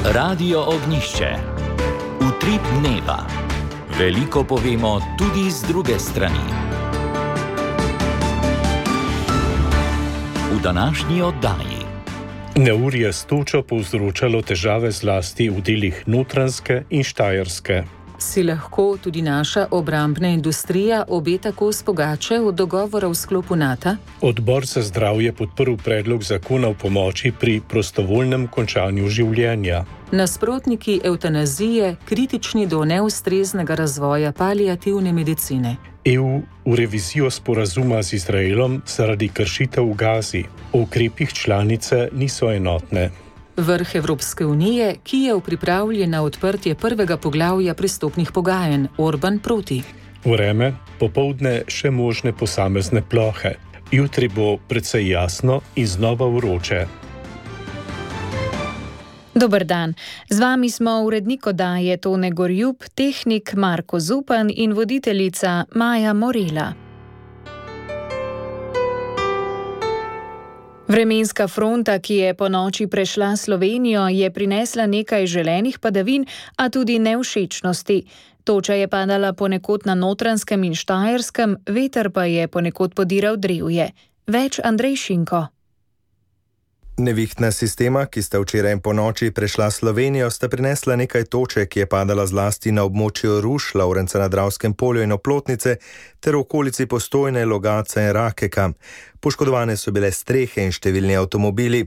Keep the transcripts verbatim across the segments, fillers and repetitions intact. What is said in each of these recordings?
Radio Ognišče. Utrip dneva. Veliko povemo tudi z druge strani. V današnji oddaji. Neurje s točo povzročalo težave zlasti v delih Notranjske in Štajerske. Si lahko tudi naša obrambna industrija obeta kos pogače od dogovora v sklopu NATO? Odbor za zdravje podprl predlog zakona o pomoči pri prostovoljnem končanju življenja. Nasprotniki evtanazije kritični do neustreznega razvoja paliativne medicine. E U v revizijo sporazuma z Izraelom zaradi kršitev v Gazi. O ukrepih članice niso enotne. Vrh Evropske unije, Kijev pripravljen na odprtje prvega poglavja pristopnih pogajanj, Orban proti. Vreme, popoldne še možne posamezne plohe. Jutri bo precej jasno in znova vroče. Dober dan. Z vami smo urednik oddaje Tone Gorjup, tehnik Marko Zupan in voditeljica Maja Morela. Vremenska fronta, ki je ponoči prešla Slovenijo, je prinesla nekaj želenih padavin, a tudi nevšečnosti. Toča je padala ponekod na Notranjskem in Štajerskem, veter pa je ponekod podiral drevje. Več Andrej Šinko. Nevihtna sistema, ki sta včeraj in ponoči prešla Slovenijo, sta prinesla nekaj toče, ki je padala zlasti na območju Ruš, Lovrenca na Dravskem polju in Oplotnice, ter v okolici Postojne, Logatca in Rakeka. Poškodovane so bile strehe in številni avtomobili.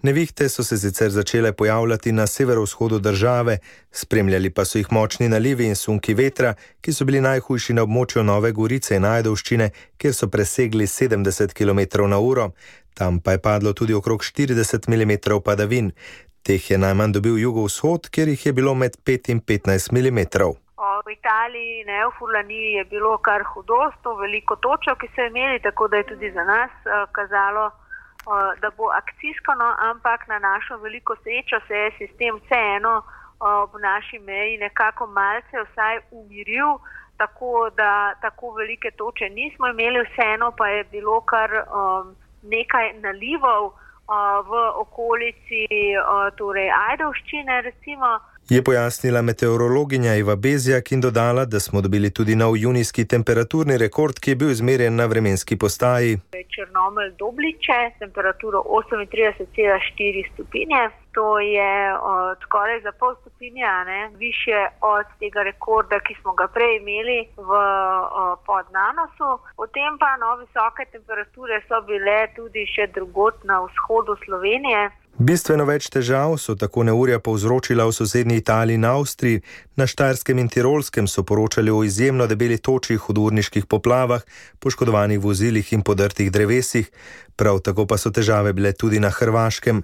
Nevihte so se sicer začele pojavljati na severovzhodu države, spremljali pa so jih močni nalivi in sunki vetra, ki so bili najhujši na območju Nove Gorice in Ajdovščine, kjer so presegli sedemdeset kilometrov na uro. Tam pa je padlo tudi okrog štirideset milimetrov padavin. Teh je najmanj dobil jugovzhod, kjer jih je bilo med pet in petnajst milimetrov. V Italiji, ne, v Furlaniji je bilo kar hudo, sto veliko točo, ki so imeli, tako da je tudi za nas uh, kazalo, uh, da bo akcijsko, no, ampak na našo veliko srečo se je sistem vseeno uh, v naši meji nekako malce vsaj umiril, tako da tako velike toče nismo imeli, vseeno pa je bilo kar um, nekaj nalivov uh, v okolici uh, torej Ajdovščine recimo. Je pojasnila meteorologinja Iva Bezjak in dodala, da smo dobili tudi nov junijski temperaturni rekord, ki je bil izmerjen na vremenski postaji. Črnomelj Dobliče, temperaturo osemintrideset cela štiri stopinje. To je uh, skoraj za pol stopinja, ne, više od tega rekorda, ki smo ga prej imeli v uh, Podnanosu. Potem pa no, visoke temperature so bile tudi še drugod na vzhodu Slovenije. Bistveno več težav so tako neurja povzročila v sosednji Italiji in Avstriji. Na Štajerskem in Tirolskem so poročali o izjemno debeli toči, hudourniških poplavah, poškodovanih vozilih in podrtih drevesih. Prav tako pa so težave bile tudi na Hrvaškem.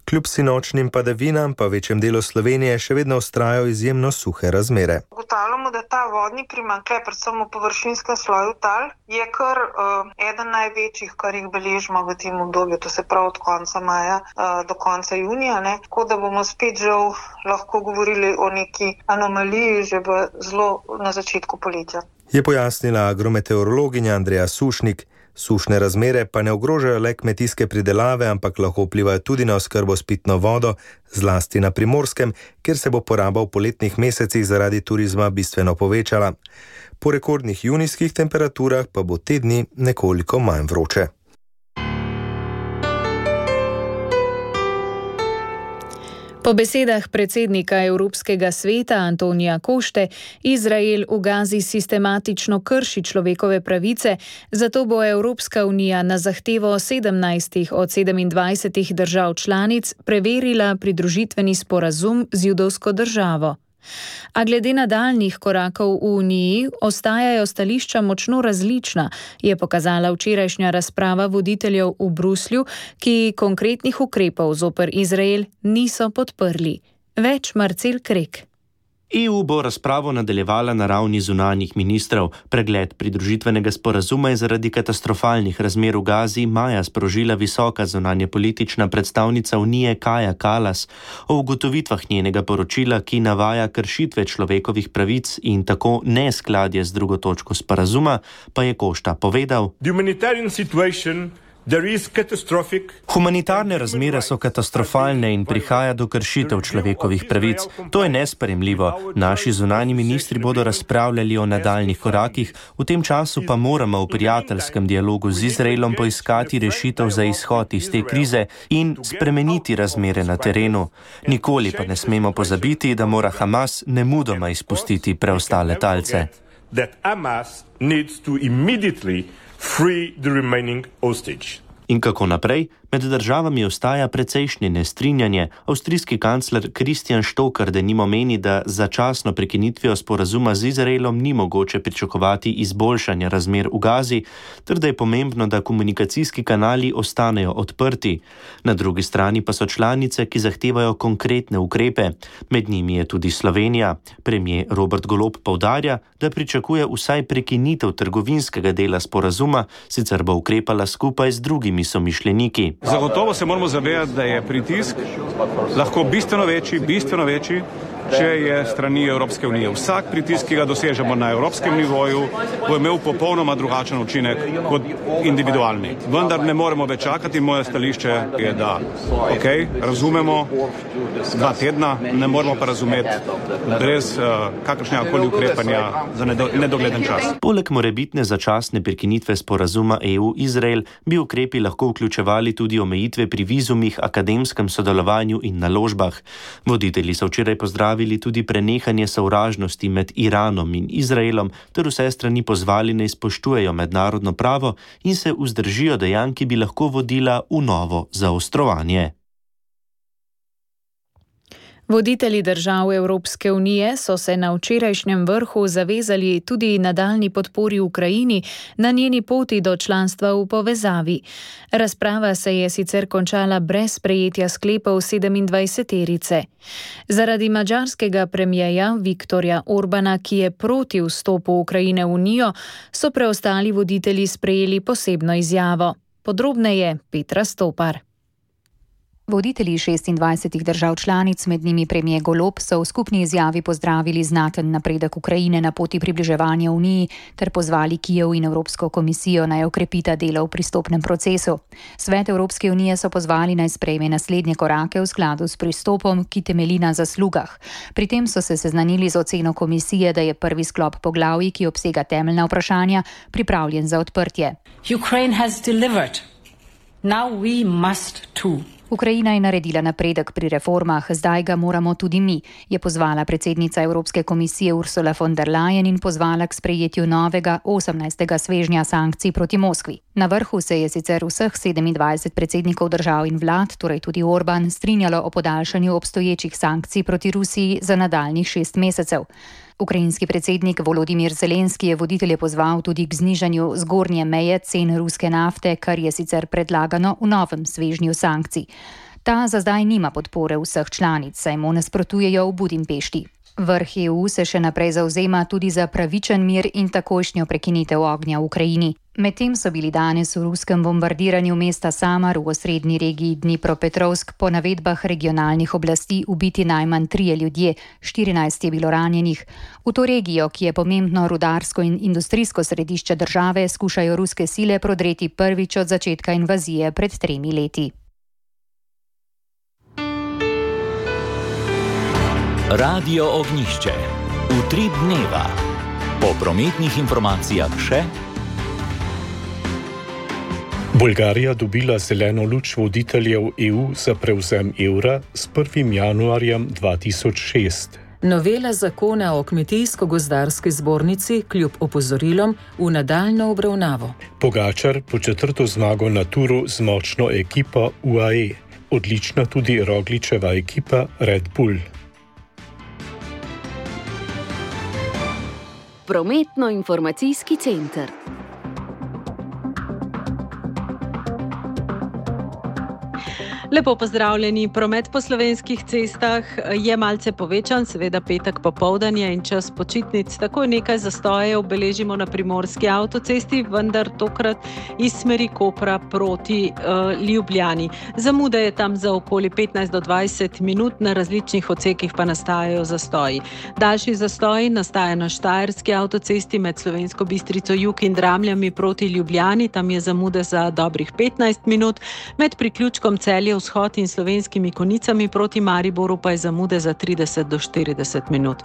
Kljub sinočnim padavinam pa v večjem delu Slovenije še vedno vztrajajo izjemno suhe razmere. Ugotavljamo, da ta vodni primanjkljaj, predvsem v površinskem sloju tal, je kar uh, eden največjih, kar jih beležimo v tem obdobju, to se pravi od konca maja uh, do konca junija, ne? Tako da bomo spet žal lahko govorili o neki anomaliji že v zelo na začetku poletja. Je pojasnila agrometeorologinja Andreja Sušnik. Sušne razmere pa ne ogrožajo le kmetijske pridelave, ampak lahko vplivajo tudi na oskrbo s pitno vodo, zlasti na Primorskem, kjer se bo poraba v poletnih mesecih zaradi turizma bistveno povečala. Po rekordnih junijskih temperaturah pa bo te dni nekoliko manj vroče. Po besedah predsednika Evropskega sveta Antonija Košte, Izrael v Gazi sistematično krši človekove pravice, zato bo Evropska unija na zahtevo sedemnajstih od sedemindvajsetih držav članic preverila pridružitveni sporazum z judovsko državo. A glede nadaljnjih korakov v Uniji ostajajo stališča močno različna, je pokazala včerajšnja razprava voditeljev v Bruslju, ki konkretnih ukrepov zoper Izrael niso podprli. Več Marcel Krek. E U bo razpravo nadaljevala na ravni zunanjih ministrov. Pregled pridružitvenega sporazuma je zaradi katastrofalnih razmer v Gazi maja sprožila visoka zunanjepolitična predstavnica Unije Kaja Kallas. O ugotovitvah njenega poročila, ki navaja kršitve človekovih pravic in tako neskladje z drugo točko sporazuma, pa je Košta povedal: The humanitarian situation Humanitarne razmere so katastrofalne in prihaja do kršitev človekovih pravic. To je nesprejemljivo. Naši zunanji ministri bodo razpravljali o nadaljnih korakih, v tem času pa moramo v prijateljskem dialogu z Izraelom poiskati rešitev za izhod iz te krize in spremeniti razmere na terenu. Nikoli pa ne smemo pozabiti, da mora Hamas nemudoma izpustiti preostale talce. In kako naprej? Med državami ostaja precejšnje nestrinjanje. Avstrijski kancler Christian Stoker denimo meni, da začasno prekinitvijo sporazuma z Izraelom ni mogoče pričakovati izboljšanja razmer v Gazi, ter da je pomembno, da komunikacijski kanali ostanejo odprti. Na drugi strani pa so članice, ki zahtevajo konkretne ukrepe. Med njimi je tudi Slovenija. Premier Robert Golob poudarja, da pričakuje vsaj prekinitev trgovinskega dela sporazuma, sicer bo ukrepala skupaj z drugimi somišljeniki. Zagotovo se moramo zavedati, da je pritisk lahko bistveno večji, bistveno večji, če je strani Evropske unije. Vsak pritisk, ki ga dosežemo na evropskem nivoju, bo imel popolnoma drugačen učinek kot individualni. Vendar ne moremo več čakati. Moje stališče je, da ok, razumemo dva tedna, ne moremo pa razumeti brez uh, kakršnega koli ukrepanja za nedogleden čas. Poleg morebitne začasne prekinitve sporazuma E U-Izrael bi ukrepi lahko vključevali tudi omejitve pri vizumih, akademskem sodelovanju in naložbah. Voditelji so včeraj pozdravili tudi prenehanje sovražnosti med Iranom in Izraelom, ter vse strani pozvali, naj spoštujejo mednarodno pravo in se vzdržijo dejanj, ki bi lahko vodila v novo zaostrovanje. Voditelji držav Evropske unije so se na včerajšnjem vrhu zavezali tudi nadaljnji podpori Ukrajini na njeni poti do članstva v povezavi. Razprava se je sicer končala brez sprejetja sklepov sedemindvajseterice. Zaradi madžarskega premierja Viktorja Orbana, ki je proti vstopu Ukrajine v Unijo, so preostali voditelji sprejeli posebno izjavo. Podrobneje Petra Stopar. Voditelji šestindvajsetih držav članic, med njimi premier Golob, so v skupni izjavi pozdravili znaten napredek Ukrajine na poti približevanja Uniji ter pozvali Kijev in Evropsko komisijo naj okrepita delo v pristopnem procesu. Svet Evropske unije so pozvali naj sprejme naslednje korake v skladu s pristopom, ki temelji na zaslugah. Pri tem so se seznanili z oceno komisije, da je prvi sklop poglavij, ki obsega temeljna vprašanja, pripravljen za odprtje. Ukraine has delivered. Now we must too. Ukrajina je naredila napredek pri reformah, zdaj ga moramo tudi mi, je pozvala predsednica Evropske komisije Ursula von der Leyen in pozvala k sprejetju novega osemnajstega svežnja sankcij proti Moskvi. Na vrhu se je sicer vseh sedemindvajset predsednikov držav in vlad, torej tudi Orban, strinjalo o podaljšanju obstoječih sankcij proti Rusiji za nadaljnjih šest mesecev. Ukrajinski predsednik Volodimir Zelenski je voditelje pozval tudi k znižanju zgornje meje cen ruske nafte, kar je sicer predlagano v novem svežnju sankcij. Ta za zdaj nima podpore vseh članic, saj mu nasprotujejo v Budimpešti. Vrh E U se še naprej zavzema tudi za pravičen mir in takojšnjo prekinitev ognja v Ukrajini. Medtem so bili danes v ruskem bombardiranju mesta Samar v osrednji regiji Dnipropetrovsk po navedbah regionalnih oblasti ubiti najmanj trije ljudje, štirinajst je bilo ranjenih. V to regijo, ki je pomembno rudarsko in industrijsko središče države, skušajo ruske sile prodreti prvič od začetka invazije pred tremi leti. Radio Ognjišče. Utrip dneva. Po prometnih informacijah še. Bolgarija dobila zeleno luč voditeljev E U za prevzem evra s prvim januarjem dva tisoč šest. Novela zakona o kmetijsko-gozdarski zbornici kljub opozorilom v nadaljno obravnavo. Pogačar po četrto zmago na turu z močno ekipo U A E. Odlična tudi Rogličeva ekipa Red Bull. Prometno-informacijski center. Lepo pozdravljeni. Promet po slovenskih cestah je malce povečan, seveda petek popoldan je in čas počitnic. Takoj nekaj zastojev beležimo na primorski avtocesti, vendar tokrat iz smeri Kopra proti uh, Ljubljani. Zamuda je tam za okoli petnajst do dvajset minut, na različnih odsekih pa nastajajo zastoji. Daljši zastoj nastaja na Štajerski avtocesti med Slovensko Bistrico jug in Dramljami proti Ljubljani, tam je zamuda za dobrih petnajst minut, med priključkom Celje vzhod in Slovenskimi Konicami proti Mariboru pa je zamude za trideset do štirideset minut.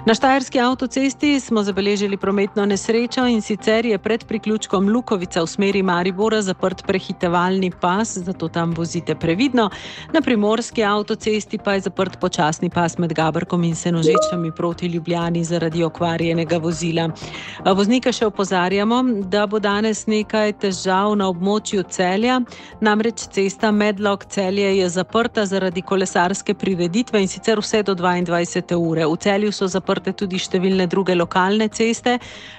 Na Štajerski avtocesti smo zabeležili prometno nesrečo in sicer je pred priključkom Lukovica v smeri Maribora zaprt prehitevalni pas, zato tam vozite previdno. Na primorski avtocesti pa je zaprt počasni pas med Gabrkom in Senožečami proti Ljubljani zaradi okvarjenega vozila. Voznike še opozarjamo, da bo danes nekaj težav na območju Celja, namreč cesta Medlog Celje je zaprta zaradi kolesarske prireditve in sicer vse do dvaindvajsete ure. V Celju so zaprte tudi številne druge lokalne ceste,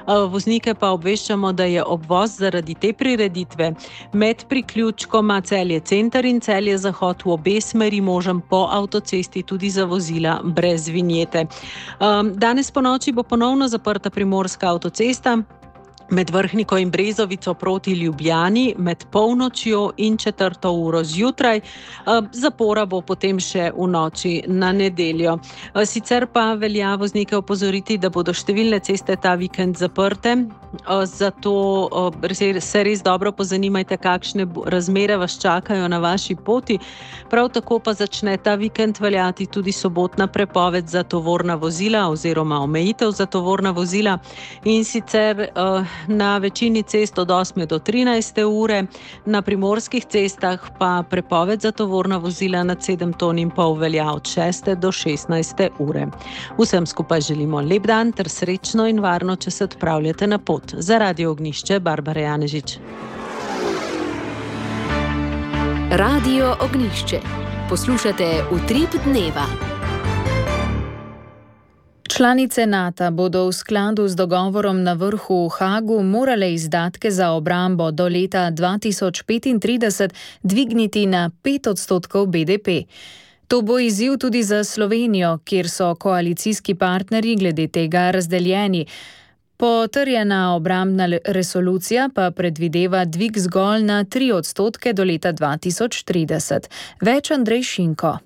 voznike pa obveščamo, da je obvoz zaradi te prireditve med priključkoma Celje center in Celje zahod v obe smeri možen po avtocesti tudi za vozila brez vinjete. Danes ponoči bo ponovno zaprta primorska avtocesta med Vrhniko in Brezovico proti Ljubljani, med polnočjo in četrto uro zjutraj. Zapora bo potem še v noči na nedeljo. Sicer pa velja voznike opozoriti, da bodo številne ceste ta vikend zaprte, zato se res dobro pozanimajte, kakšne razmere vas čakajo na vaši poti. Prav tako pa začne ta vikend veljati tudi sobotna prepoved za tovorna vozila oziroma omejitev za tovorna vozila in sicer na večini cest od osme do trinajste ure, na primorskih cestah pa prepoved za tovorna vozila nad sedem ton in pol velja od šeste do šestnajste ure. Vsem skupaj želimo lep dan ter srečno in varno, če se odpravljate na pot. Za Radio Ognjišče, Barbara Janežič. Radio Ognjišče. Poslušate Utrip dneva. Članice Nata bodo v skladu z dogovorom na vrhu v Hagu morale izdatke za obrambo do leta dva tisoč petintrideset dvigniti na pet odstotkov B D P. To bo izziv tudi za Slovenijo, kjer so koalicijski partnerji glede tega razdeljeni. Potrjena obrambna resolucija pa predvideva dvig zgolj na tri odstotke do leta dva tisoč trideset. Več Andrej Šinko.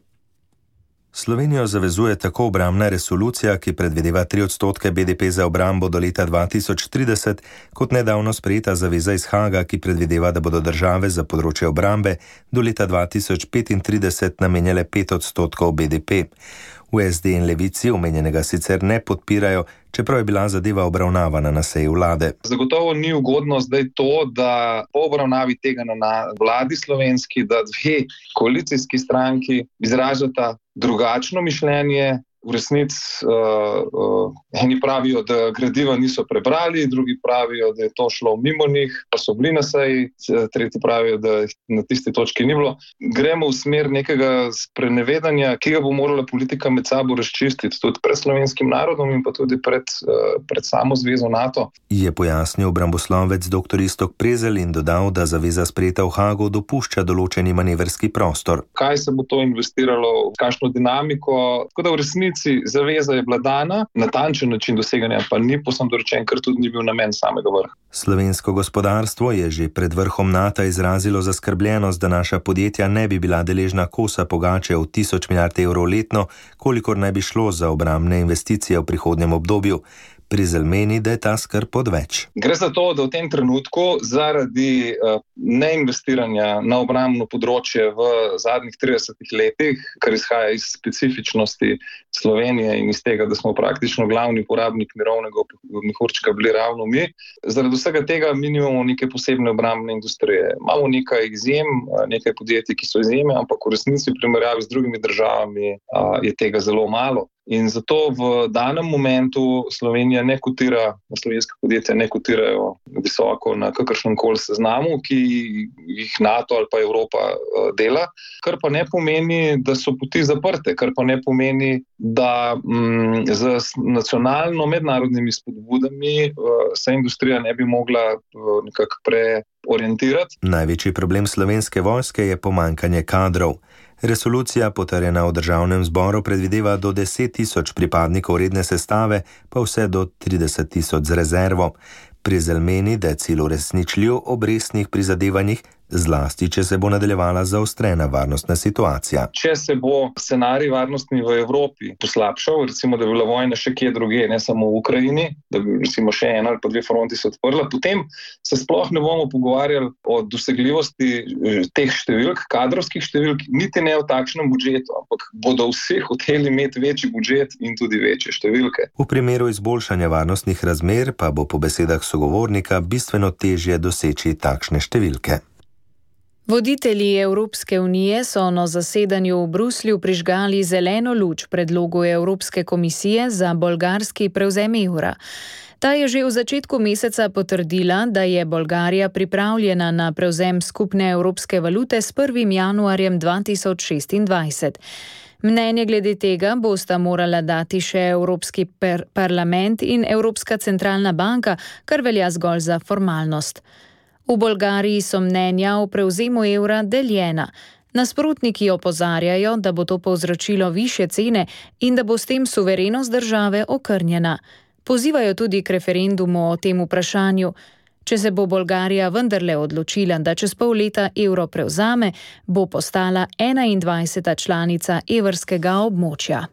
Slovenijo zavezuje tako obrambna resolucija, ki predvideva tri odstotke B D P za obrambo do leta dva tisoč trideset, kot nedavno sprejeta zaveza iz Haga, ki predvideva, da bodo države za področje obrambe do leta dva tisoč petintrideset namenjale pet odstotkov B D P. V S D in Levici omenjenega sicer ne podpirajo, čeprav je bila zadeva obravnavana na seji vlade. Zagotovo ni ugodno zdaj to, da po obravnavi tega na vladi slovenski, da dve koalicijski stranki izražata drugačno mišljenje. V resnici uh, uh, eni pravijo, da gradiva niso prebrali, drugi pravijo, da je to šlo mimo njih, pa so bili na seji, tretji pravijo, da na tisti točki ni bilo. Gremo v smer nekega sprenevedanja, ki ga bo morala politika med sabo razčistiti, tudi pred slovenskim narodom in pa tudi pred, uh, pred samo zvezo Nato. Je pojasnil obramboslovec dr. Iztok Prezelj in dodal, da zaveza sprejeta v Hagu dopušča določeni manevrski prostor. Kaj se bo to investiralo, kakšno dinamiko, tako da v resnici zaveza je bila dana, natančen način doseganja pa ni povsem dorečen, ker tudi ni bil namen samega vrha. Slovensko gospodarstvo je že pred vrhom Nata izrazilo zaskrbljenost, da naša podjetja ne bi bila deležna kosa pogače od tisoč milijard evrov letno, kolikor naj bi šlo za obrambne investicije v prihodnjem obdobju. Prezelj meni, da je ta skrb odveč. Gre za to, da v tem trenutku zaradi uh, neinvestiranja na obrambno področje v zadnjih tridesetih letih, kar izhaja iz specifičnosti Slovenije in iz tega, da smo praktično glavni porabnik mirovnega mehurčka bili ravno mi, zaradi vsega tega mi nimamo neke posebne obrambne industrije. Imamo nekaj izjem, nekaj podjetij, ki so izjeme, ampak v resnici v primerjavi z drugimi državami uh, je tega zelo malo. In zato v danem momentu Slovenija ne kotira, slovenska podjetja ne kotirajo visoko na kakršnem koli seznamu, ki jih Nato ali pa Evropa dela, kar pa ne pomeni, da so poti zaprte, kar pa ne pomeni, da m, z nacionalno mednarodnimi spodbudami se industrija ne bi mogla nekako pre orientirati. Največji problem slovenske vojske je pomanjkanje kadrov. Resolucija, potrjena v državnem zboru, predvideva do deset tisoč pripadnikov redne sestave, pa vse do trideset tisoč z rezervo. Prezelj meni, da je cilj uresničljiv ob resnih prizadevanjih, zlasti, če se bo nadaljevala zaostrena varnostna situacija. Če se bo scenarij varnostni v Evropi poslabšal, recimo, da bi bila vojna še kje druge, ne samo v Ukrajini, da bi recimo še ena ali pa dve fronti se odprla, potem se sploh ne bomo pogovarjali o dosegljivosti teh številk, kadrovskih številk, niti ne o takšnem budžetu, ampak bodo vsi hoteli imeti večji budžet in tudi večje številke. V primeru izboljšanja varnostnih razmer pa bo po besedah sogovornika bistveno težje doseči takšne številke. Voditelji Evropske unije so na zasedanju v Bruslju prižgali zeleno luč predlogu Evropske komisije za bolgarski prevzem evra. Ta je že v začetku meseca potrdila, da je Bolgarija pripravljena na prevzem skupne evropske valute s prvim januarjem dva tisoč šestindvajset. Mnenje glede tega bosta morala dati še Evropski per- parlament in Evropska centralna banka, kar velja zgolj za formalnost. V Bolgariji so mnenja o prevzemu evra deljena. Nasprotniki opozarjajo, da bo to povzročilo višje cene in da bo s tem suverenost države okrnjena. Pozivajo tudi k referendumu o tem vprašanju. Če se bo Bolgarija vendarle odločila, da čez pol leta evro prevzame, bo postala enaindvajseta članica evrskega območja.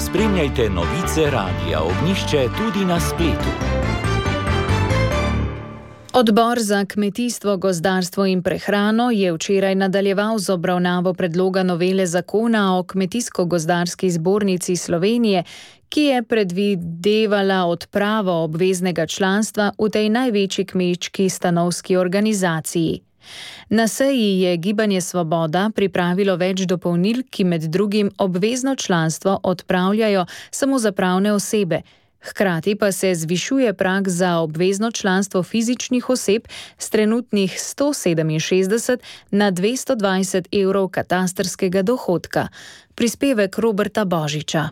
Spremljajte novice Radia Ognjišče tudi na spletu. Odbor za kmetijstvo, gozdarstvo in prehrano je včeraj nadaljeval z obravnavo predloga novele zakona o Kmetijsko-gozdarski zbornici Slovenije, ki je predvidevala odpravo obveznega članstva v tej največji kmečki stanovski organizaciji. Na seji je Gibanje Svoboda pripravilo več dopolnil, ki med drugim obvezno članstvo odpravljajo samo za pravne osebe. Hkrati pa se zvišuje prag za obvezno članstvo fizičnih oseb s trenutnih sto sedeminšestdeset na dvesto dvajset evrov katastrskega dohodka. Prispevek Roberta Božiča.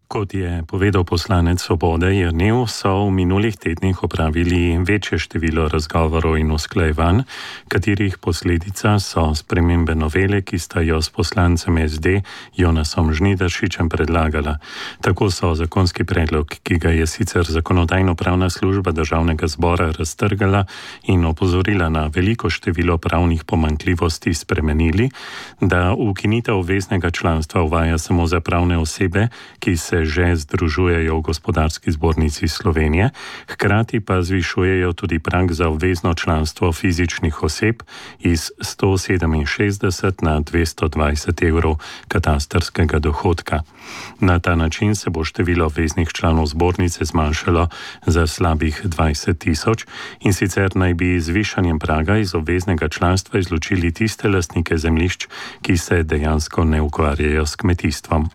Kot je povedal poslanec Svobode Jernev, so v minulih tednih opravili večje število razgovorov in usklajevanj, katerih posledica so spremembe novele, ki sta jo s poslancem S D Jonasom Žnidaršičem predlagala. Tako so zakonski predlog, ki ga je sicer Zakonodajno-pravna služba Državnega zbora raztrgala in opozorila na veliko število pravnih pomanjkljivosti, spremenili, da ukinitev obveznega članstva uvaja samo za pravne osebe, ki se že združujejo v Gospodarski zbornici Slovenije, hkrati pa zvišujejo tudi prag za obvezno članstvo fizičnih oseb iz sto sedeminšestdeset na dvesto dvajset evrov katastrskega dohodka. Na ta način se bo število obveznih članov zbornice zmanjšalo za slabih dvajset tisoč in sicer naj bi z višanjem praga iz obveznega članstva izločili tiste lastnike zemljišč, ki se dejansko ne ukvarjajo s kmetijstvom.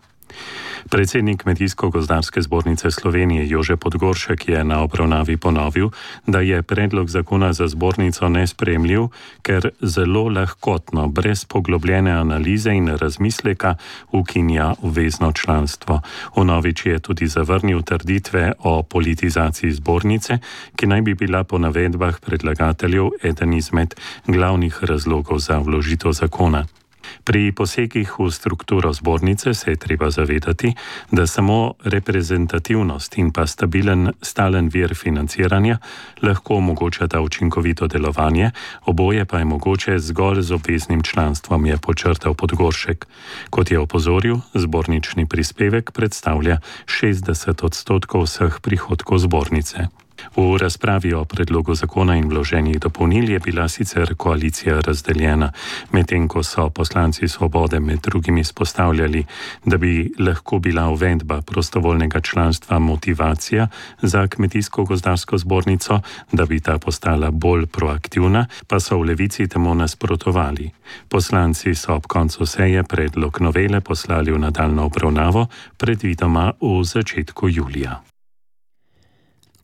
Predsednik Kmetijsko-gozdarske zbornice Slovenije Jože Podgoršek je na obravnavi ponovil, da je predlog zakona za zbornico nesprejemljiv, ker zelo lahkotno, brez poglobljene analize in razmisleka ukinja obvezno članstvo. Vnovič je tudi zavrnil trditve o politizaciji zbornice, ki naj bi bila po navedbah predlagateljev eden izmed glavnih razlogov za vložitev zakona. Pri posegih v strukturo zbornice se je treba zavedati, da samo reprezentativnost in pa stabilen, stalen vir financiranja lahko omogočata učinkovito delovanje, oboje pa je mogoče zgolj z obveznim članstvom, je podčrtal Podgoršek. Kot je opozoril, zbornični prispevek predstavlja šestdeset odstotkov vseh prihodkov zbornice. V razpravi o predlogu zakona in vloženih dopolnil je bila sicer koalicija razdeljena, medtem ko so poslanci Svobode med drugim izpostavljali, da bi lahko bila uvedba prostovoljnega članstva motivacija za Kmetijsko-gozdarsko zbornico, da bi ta postala bolj proaktivna, pa so v Levici temu nasprotovali. Poslanci so ob koncu seje predlog novele poslali v nadaljnjo obravnavo, predvidoma v začetku julija.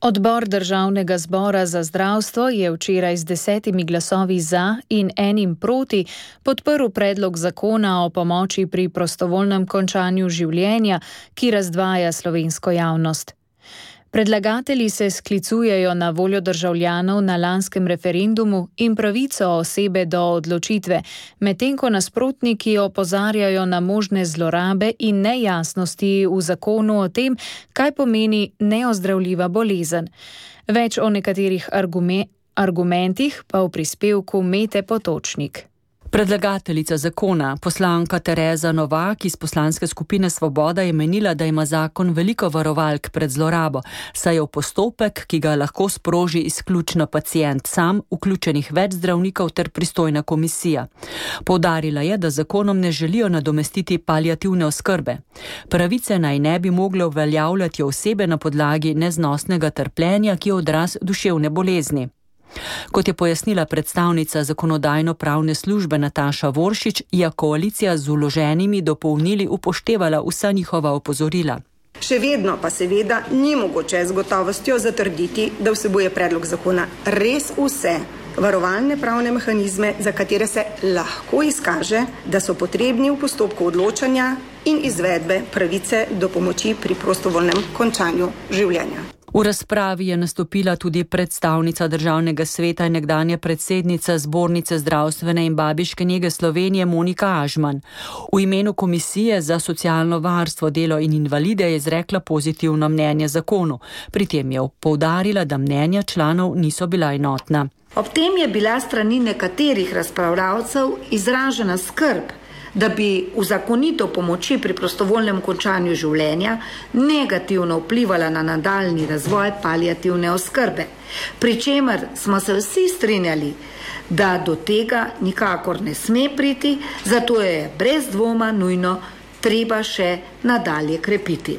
Odbor Državnega zbora za zdravstvo je včeraj z desetimi glasovi za in enim proti podprl predlog zakona o pomoči pri prostovoljnem končanju življenja, ki razdvaja slovensko javnost. Predlagatelji se sklicujejo na voljo državljanov na lanskem referendumu in pravico osebe do odločitve, medtem ko nasprotniki opozarjajo na možne zlorabe in nejasnosti v zakonu o tem, kaj pomeni neozdravljiva bolezen. Več o nekaterih argume- argumentih pa v prispevku Mete Potočnik. Predlagateljica zakona, poslanka Tereza Novak iz poslanske skupine Svoboda, je menila, da ima zakon veliko varovalk pred zlorabo, saj je v postopek, ki ga lahko sproži izključno pacient sam, vključenih več zdravnikov ter pristojna komisija. Poudarila je, da zakonom ne želijo nadomestiti paliativne oskrbe. Pravice naj ne bi mogle uveljavljati osebe na podlagi neznosnega trpljenja, ki je odraz duševne bolezni. Kot je pojasnila predstavnica zakonodajno-pravne službe Nataša Voršič, je koalicija z vloženimi dopolnili upoštevala vsa njihova opozorila. Še vedno pa seveda ni mogoče z gotovostjo zatrditi, da vsebuje predlog zakona res vse varovalne pravne mehanizme, za katere se lahko izkaže, da so potrebni v postopku odločanja in izvedbe pravice do pomoči pri prostovoljnem končanju življenja. V razpravi je nastopila tudi predstavnica Državnega sveta in nekdanja predsednica Zbornice zdravstvene in babiške nege Slovenije Monika Ažman. V imenu Komisije za socialno varstvo, delo in invalide je izrekla pozitivno mnenje zakonu. Pri tem je poudarila, da mnenja članov niso bila enotna. Ob tem je bila strani nekaterih razpravljavcev izražena skrb, da bi uzakonitev pomoči pri prostovoljnem končanju življenja negativno vplivala na nadaljnji razvoj paliativne oskrbe, pri čemer smo se vsi strinjali, da do tega nikakor ne sme priti, zato je brez dvoma nujno treba še nadalje krepiti.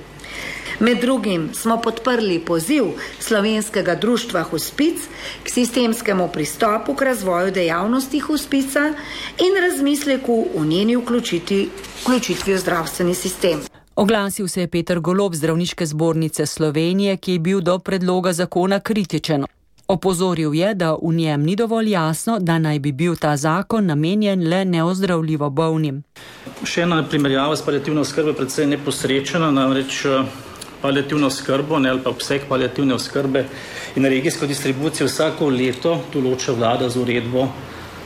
Med drugim smo podprli poziv Slovenskega društva Hospic k sistemskemu pristopu k razvoju dejavnosti hospica in razmisleku o njeni vključitvi, vključitvi v zdravstveni sistem. Oglasil se je Peter Golob z Zdravniške zbornice Slovenije, ki je bil do predloga zakona kritičen. Opozoril je, da v njem ni dovolj jasno, da naj bi bil ta zakon namenjen le neozdravljivo bolnim. Še ena primerjava s paliativno oskrbo je predvsej neposrečena, namreč paliativno oskrbo ne, ali pa obseg paliativne oskrbe in regijsko distribucijo vsako leto določa vlada z uredbo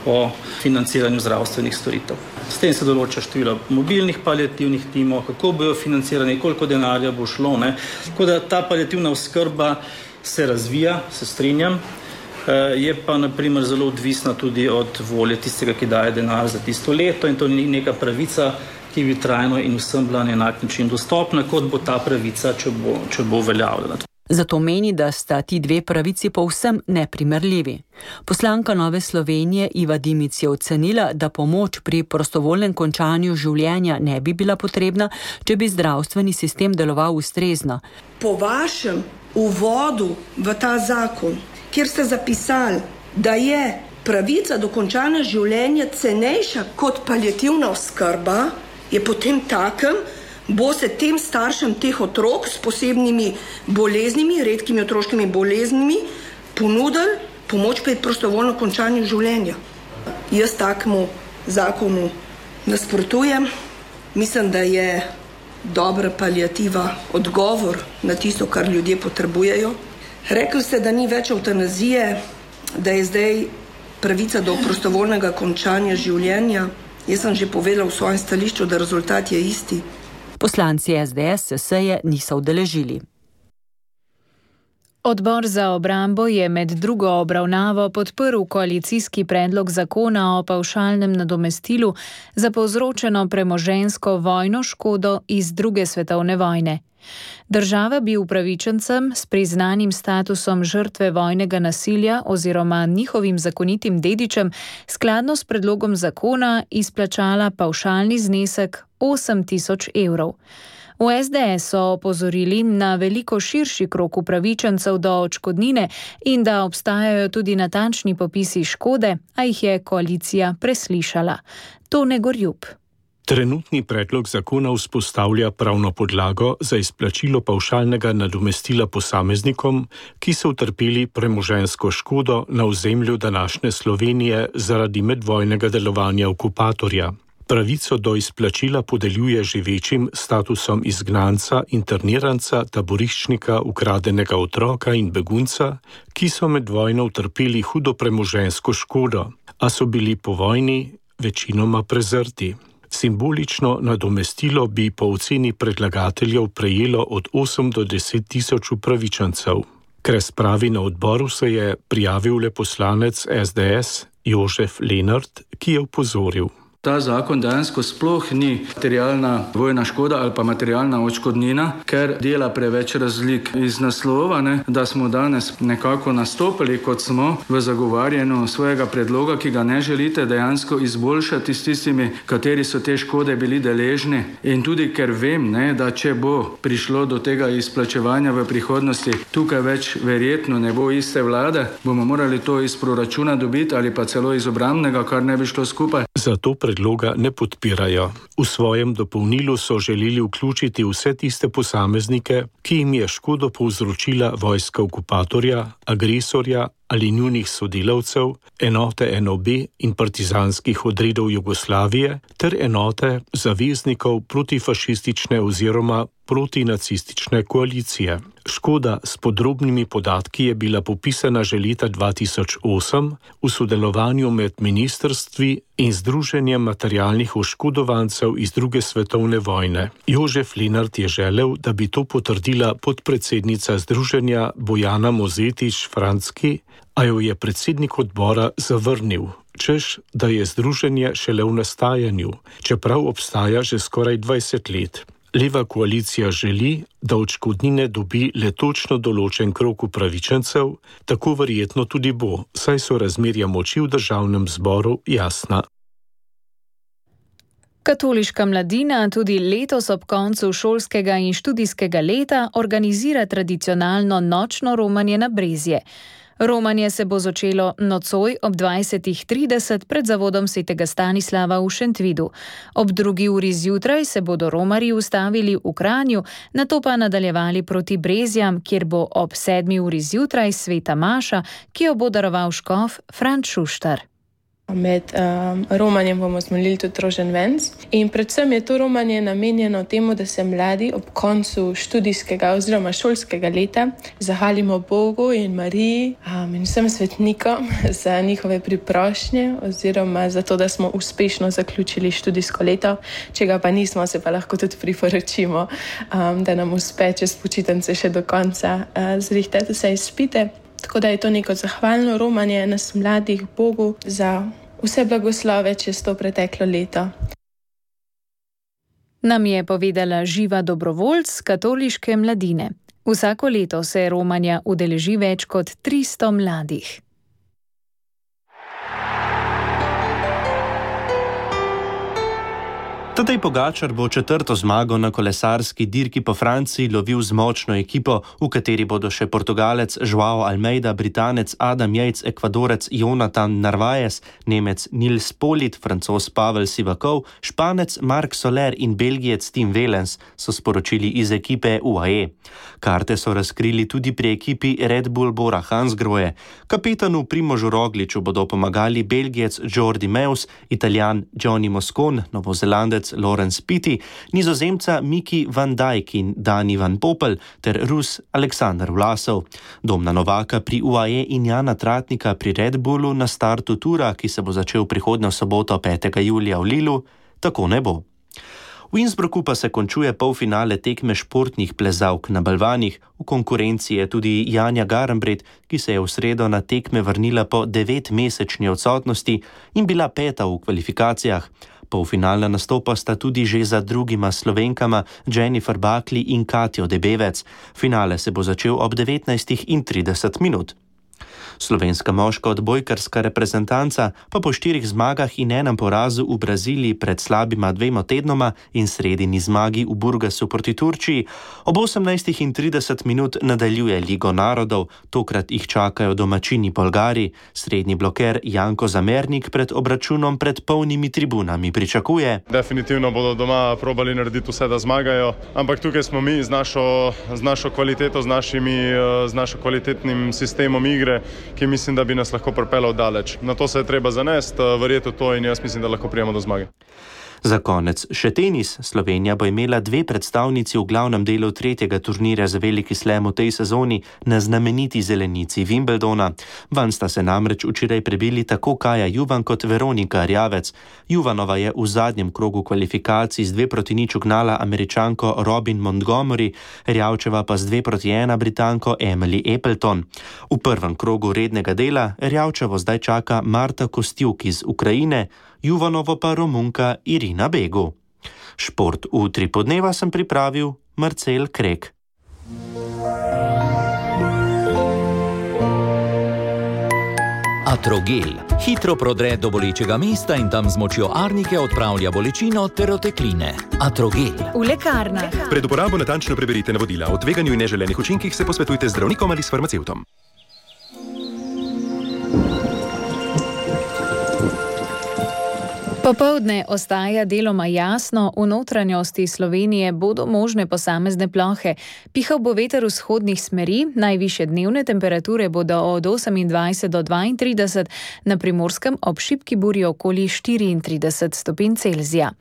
o financiranju zdravstvenih storitev. S tem se določa število mobilnih paliativnih timov, kako bojo financirani, koliko denarja bo šlo. Ne. Tako da ta paliativna oskrba se razvija, se strinjam, je pa na primer zelo odvisna tudi od volje tistega, ki daje denar za tisto leto, in to ni neka pravica, ki bi trajno in vsem bila na enak način dostopna, kot bo ta pravica, če bo, če bo uveljavljena. Zato meni, da sta ti dve pravici povsem neprimerljivi. Poslanka Nove Slovenije Iva Dimic je ocenila, da pomoč pri prostovoljnem končanju življenja ne bi bila potrebna, če bi zdravstveni sistem deloval ustrezno. Po vašem uvodu v ta zakon, kjer ste zapisali, da je pravica do končanja življenja cenejša kot paliativna oskrba, je potem takem, bo se tem staršem teh otrok s posebnimi boleznimi, redkimi otroškimi boleznimi, ponudili pomoč pri prostovoljnem končanju življenja. Jaz takemu zakonu nasprotujem. Mislim, da je dobra paliativa odgovor na tisto, kar ljudje potrebujejo. Rekli ste, da ni več evtanazije, da je zdaj pravica do prostovoljnega končanja življenja. Jaz sem že povedal v svojem stališču, da rezultat je isti. Poslanci S D S se seje niso udeležili. Odbor za obrambo je med drugo obravnavo podprl koalicijski predlog zakona o pavšalnem nadomestilu za povzročeno premoženjsko vojno škodo iz druge svetovne vojne. Država bi upravičencem s priznanim statusom žrtve vojnega nasilja oziroma njihovim zakonitim dedičem skladno s predlogom zakona izplačala pavšalni znesek osem tisoč evrov. V S D S so opozorili na veliko širši krog upravičencev do odškodnine in da obstajajo tudi natančni popisi škode, a jih je koalicija preslišala. Tone Gorjup. Trenutni predlog zakona vzpostavlja pravno podlago za izplačilo pavšalnega nadomestila posameznikom, ki so utrpeli premoženjsko škodo na ozemlju današnje Slovenije zaradi medvojnega delovanja okupatorja. Pravico do izplačila podeljuje živečim statusom izgnanca, interniranca, taboriščnika, ukradenega otroka in begunca, ki so med vojno utrpeli hudo premoženjsko škodo, a so bili po vojni večinoma prezrti. Simbolično nadomestilo bi po oceni predlagateljev prejelo od osem do deset tisoč upravičencev. K razpravi na odboru se je prijavil le poslanec es de es Jožef Lenart, ki je opozoril. Ta zakon dejansko sploh ni materialna vojna škoda ali pa materialna odškodnina, ker dela preveč razlik. Iz naslova, ne, da smo danes nekako nastopili, kot smo v zagovarjanju svojega predloga, ki ga ne želite dejansko izboljšati s tistimi, kateri so te škode bili deležni. In tudi ker vem, ne, da če bo prišlo do tega izplačevanja v prihodnosti, tukaj več verjetno ne bo iste vlade, bomo morali to iz proračuna dobiti ali pa celo iz obrambnega, kar ne bi šlo skupaj. Zato predloga ne podpirajo. V svojem dopolnilu so želeli vključiti vse tiste posameznike, ki jim je škodo povzročila vojska okupatorja, agresorja ali njunih sodelavcev, enote en o be in partizanskih odredov Jugoslavije ter enote zaveznikov protifašistične oziroma protinacistične koalicije. Škoda s podrobnimi podatki je bila popisana že leta dva tisoč osem v sodelovanju med ministrstvi in Združenjem materialnih oškodovancev iz druge svetovne vojne. Jožef Lenart je želel, da bi to potrdila podpredsednica združenja Bojana Mozetič Francky, a jo je predsednik odbora zavrnil, češ, da je združenje šele v nastajanju, čeprav obstaja že skoraj dvajset let. Leva koalicija želi, da odškodnine dobi le točno določen krog upravičencev, tako verjetno tudi bo, saj so razmerja moči v državnem zboru jasna. Katoliška mladina tudi letos ob koncu šolskega in študijskega leta organizira tradicionalno nočno romanje na Brezje. Romanje se bo začelo nocoj ob dvajsetih trideset pred zavodom svetega Stanislava v Šentvidu. Ob drugi uri zjutraj se bodo romarji ustavili v Kranju, nato pa nadaljevali proti Brezjam, kjer bo ob sedmi uri zjutraj sveta maša, ki jo bo daroval škof Franc Šuštar. Med um, romanjem bomo zmolili tudi rožen venc in predvsem je to romanje namenjeno temu, da se mladi ob koncu študijskega oziroma šolskega leta zahvalimo Bogu in Mariji um, in vsem svetnikom za njihove priprošnje oziroma za to, da smo uspešno zaključili študijsko leto. Če ga pa nismo, se pa lahko tudi priporočimo, um, da nam uspe čez počitnice še do konca uh, zrihtati vse izpite. Tako da je to neko zahvalno romanje nas mladih Bogu za vse blagoslove čez to preteklo leto. Nam je povedala Živa Dobrovoljc katoliške mladine. Vsako leto se romanja udeleži več kot tristo mladih. Tadej Pogačar bo četrto zmago na kolesarski dirki po Franciji lovil z močno ekipo, v kateri bodo še Portugalec João Almeida, Britanec Adam Yates, Ekvadorec Jonathan Narvaez, Nemec Nils Politt, Francoz Pavel Sivakov, Španec Marc Soler in Belgijec Tim Wellens, so sporočili iz ekipe U A E. Karte so razkrili tudi pri ekipi Red Bull Bora Hansgrohe. Kapetanu Primožu Rogliču bodo pomagali Belgijec Jordi Meus, Italijan Johnny Moscon, Novozelandec Lorenz Pitti, Nizozemca Miki van Dijk in Dani van Poppel ter Rus Aleksandar Vlasov. Domna novaka pri U A E in Jana Tratnika pri Red Bullu na startu tura, ki se bo začel prihodnjo soboto petega julija v Lilu, tako ne bo. V Innsbrucku pa se končuje polfinale tekme športnih plezalk na balvanih. V konkurenci je tudi Janja Garnbret, ki se je v sredo na tekme vrnila po devetmesečni odsotnosti in bila peta v kvalifikacijah. Polfinalna nastopa sta tudi že za drugima Slovenkama Jennifer Buckley in Katjo Debevec. Finale se bo začel ob devetnajstih trideset minut. Slovenska moška odbojkarska reprezentanca pa po štirih zmagah in enem porazu v Braziliji pred slabima dvema tednoma in sredini zmagi v Burgasu proti Turčiji ob osemnajstih trideset minut nadaljuje Ligo narodov, tokrat jih čakajo domačini Bolgari. Srednji bloker Janko Zamernik pred obračunom pred polnimi tribunami pričakuje. Definitivno bodo doma probali narediti vse, da zmagajo, ampak tukaj smo mi z našo, z našo kvaliteto, z, našimi, z našo kvalitetnim sistemom igre, ki mislim, da bi nas lahko pripeljal daleč. Na to se je treba zanesti, verjeti to in jaz mislim, da lahko prijemo do zmage. Za konec še tenis. Slovenija bo imela dve predstavnici v glavnem delu tretjega turnirja za veliki slam v tej sezoni na znameniti zelenici Wimbledona. Van sta se namreč včeraj prebili tako Kaja Juvan kot Veronika Rjavec. Juvanova je v zadnjem krogu kvalifikacij z dve proti nič ugnala Američanko Robin Montgomery, Rjavčeva pa z dve proti ena Britanko Emily Appleton. V prvem krogu rednega dela Rjavčevo zdaj čaka Marta Kostjuk iz Ukrajine, Juvanovo pa Romunka Irina Begu. Šport v Utripu dneva sem pripravil Marcel Krek. Atrogel hitro prodre do bolečega mesta in tam z močjo arnike odpravlja bolečino ter otekline. Atrogel. V lekarnah. Pred uporabo natančno preberite navodila. O tveganju in neželenih učinkih se posvetujte z zdravnikom ali s farmacevtom. Popoldne ostaja deloma jasno, v notranjosti Slovenije bodo možne posamezne plohe. Pihal bo veter vzhodnih smeri, najvišje dnevne temperature bodo od osemindvajset do dvaintrideset, na Primorskem ob šibki burji okoli štiriintrideset stopinj Celzija.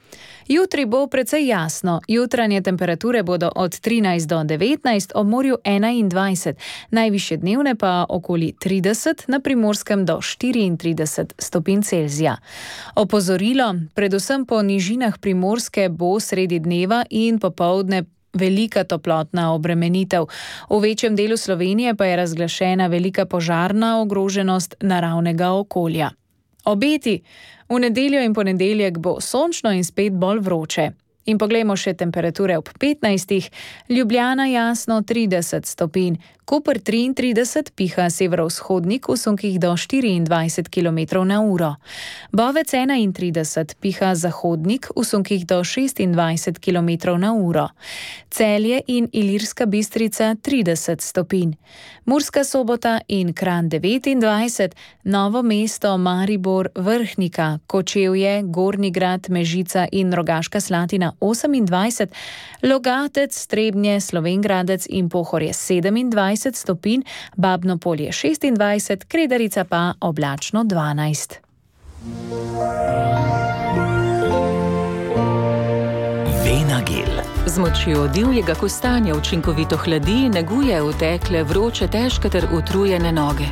Jutri bo precej jasno, jutranje temperature bodo od trinajst do devetnajst, ob morju enaindvajset, najvišje dnevne pa okoli trideset, na Primorskem do štiriintrideset stopinj Celzija. Opozorilo, predvsem po nižinah Primorske bo sredi dneva in popoldne velika toplotna obremenitev. V večjem delu Slovenije pa je razglašena velika požarna ogroženost naravnega okolja. Obeti. V nedeljo in ponedeljek bo sončno in spet bolj vroče. In poglejmo še temperature ob petnajstih. Ljubljana jasno trideset stopinj, Koper triintrideset, piha severovzhodnik v sunkih do štiriindvajset kilometrov na uro. Bovec enaintrideset, piha zahodnik v sunkih do šestindvajset kilometrov na uro. Celje in Ilirska Bistrica trideset stopinj. Murska Sobota in Kranj devetindvajset, Novo mesto, Maribor, Vrhnika, Kočevje, Gornji Grad, Mežica in Rogaška Slatina osemindvajset, Logatec, Trebnje, Slovenj Gradec in Pohorje sedemindvajset stopinj, Babno Polje šestindvajset, Kredarica pa oblačno dvanajst. Venagel. Z močjo divjega kostanja učinkovito hladi, neguje utekle, vroče, težke ter utrujene noge.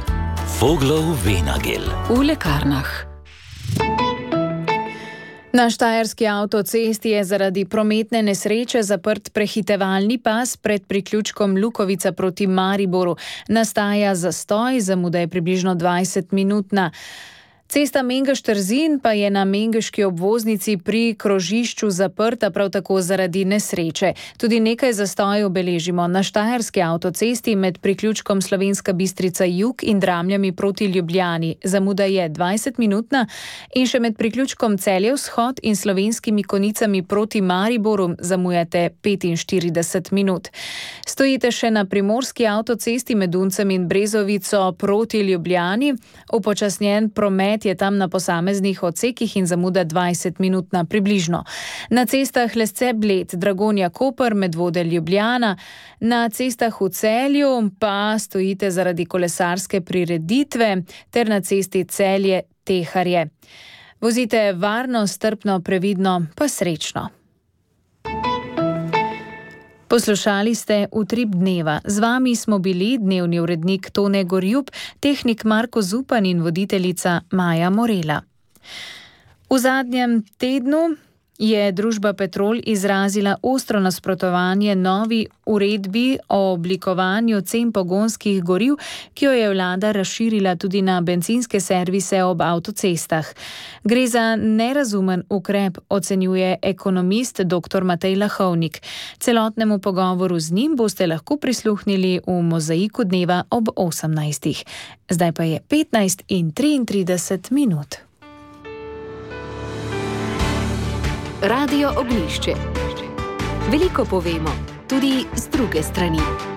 Voglov Venagel. V lekarnah. Na štajerski avtocesti je zaradi prometne nesreče zaprt prehitevalni pas pred priključkom Lukovica proti Mariboru. Nastaja zastoj, zamuda je približno dvajset minutna. Cesta Mengeš-Trzin pa je na mengeški obvoznici pri krožišču zaprta prav tako zaradi nesreče. Tudi nekaj zastojev beležimo na štajerski avtocesti med priključkom Slovenska Bistrica Jug in Dramljami proti Ljubljani. Zamuda je dvajset minutna in še med priključkom Celje Vzhod in Slovenskimi Konicami proti Mariboru zamujate petinštirideset minut. Stojite še na primorski avtocesti med Uncem in Brezovico proti Ljubljani. Upočasnjen promet je tam na posameznih odsekih in zamuda dvajset minutna približno. Na cestah Lesce Bled, Dragonja Koper, Medvode Ljubljana, na cestah v Celju pa stojite zaradi kolesarske prireditve ter na cesti Celje Teharje. Vozite varno, strpno, previdno, pa srečno. Poslušali ste Utrip dneva. Z vami smo bili dnevni urednik Tone Gorjup, tehnik Marko Zupan in voditeljica Maja Morela. V zadnjem tednu je družba Petrol izrazila ostro nasprotovanje novi uredbi o oblikovanju cen pogonskih goriv, ki jo je vlada razširila tudi na bencinske servise ob avtocestah. Gre za nerazumen ukrep, ocenjuje ekonomist dr. Matej Lahovnik. Celotnemu pogovoru z njim boste lahko prisluhnili v Mozaiku dneva ob osemnajstih. Zdaj pa je petnajst in triintrideset minut. Radio Ognjišče. Veliko povemo, tudi z druge strani.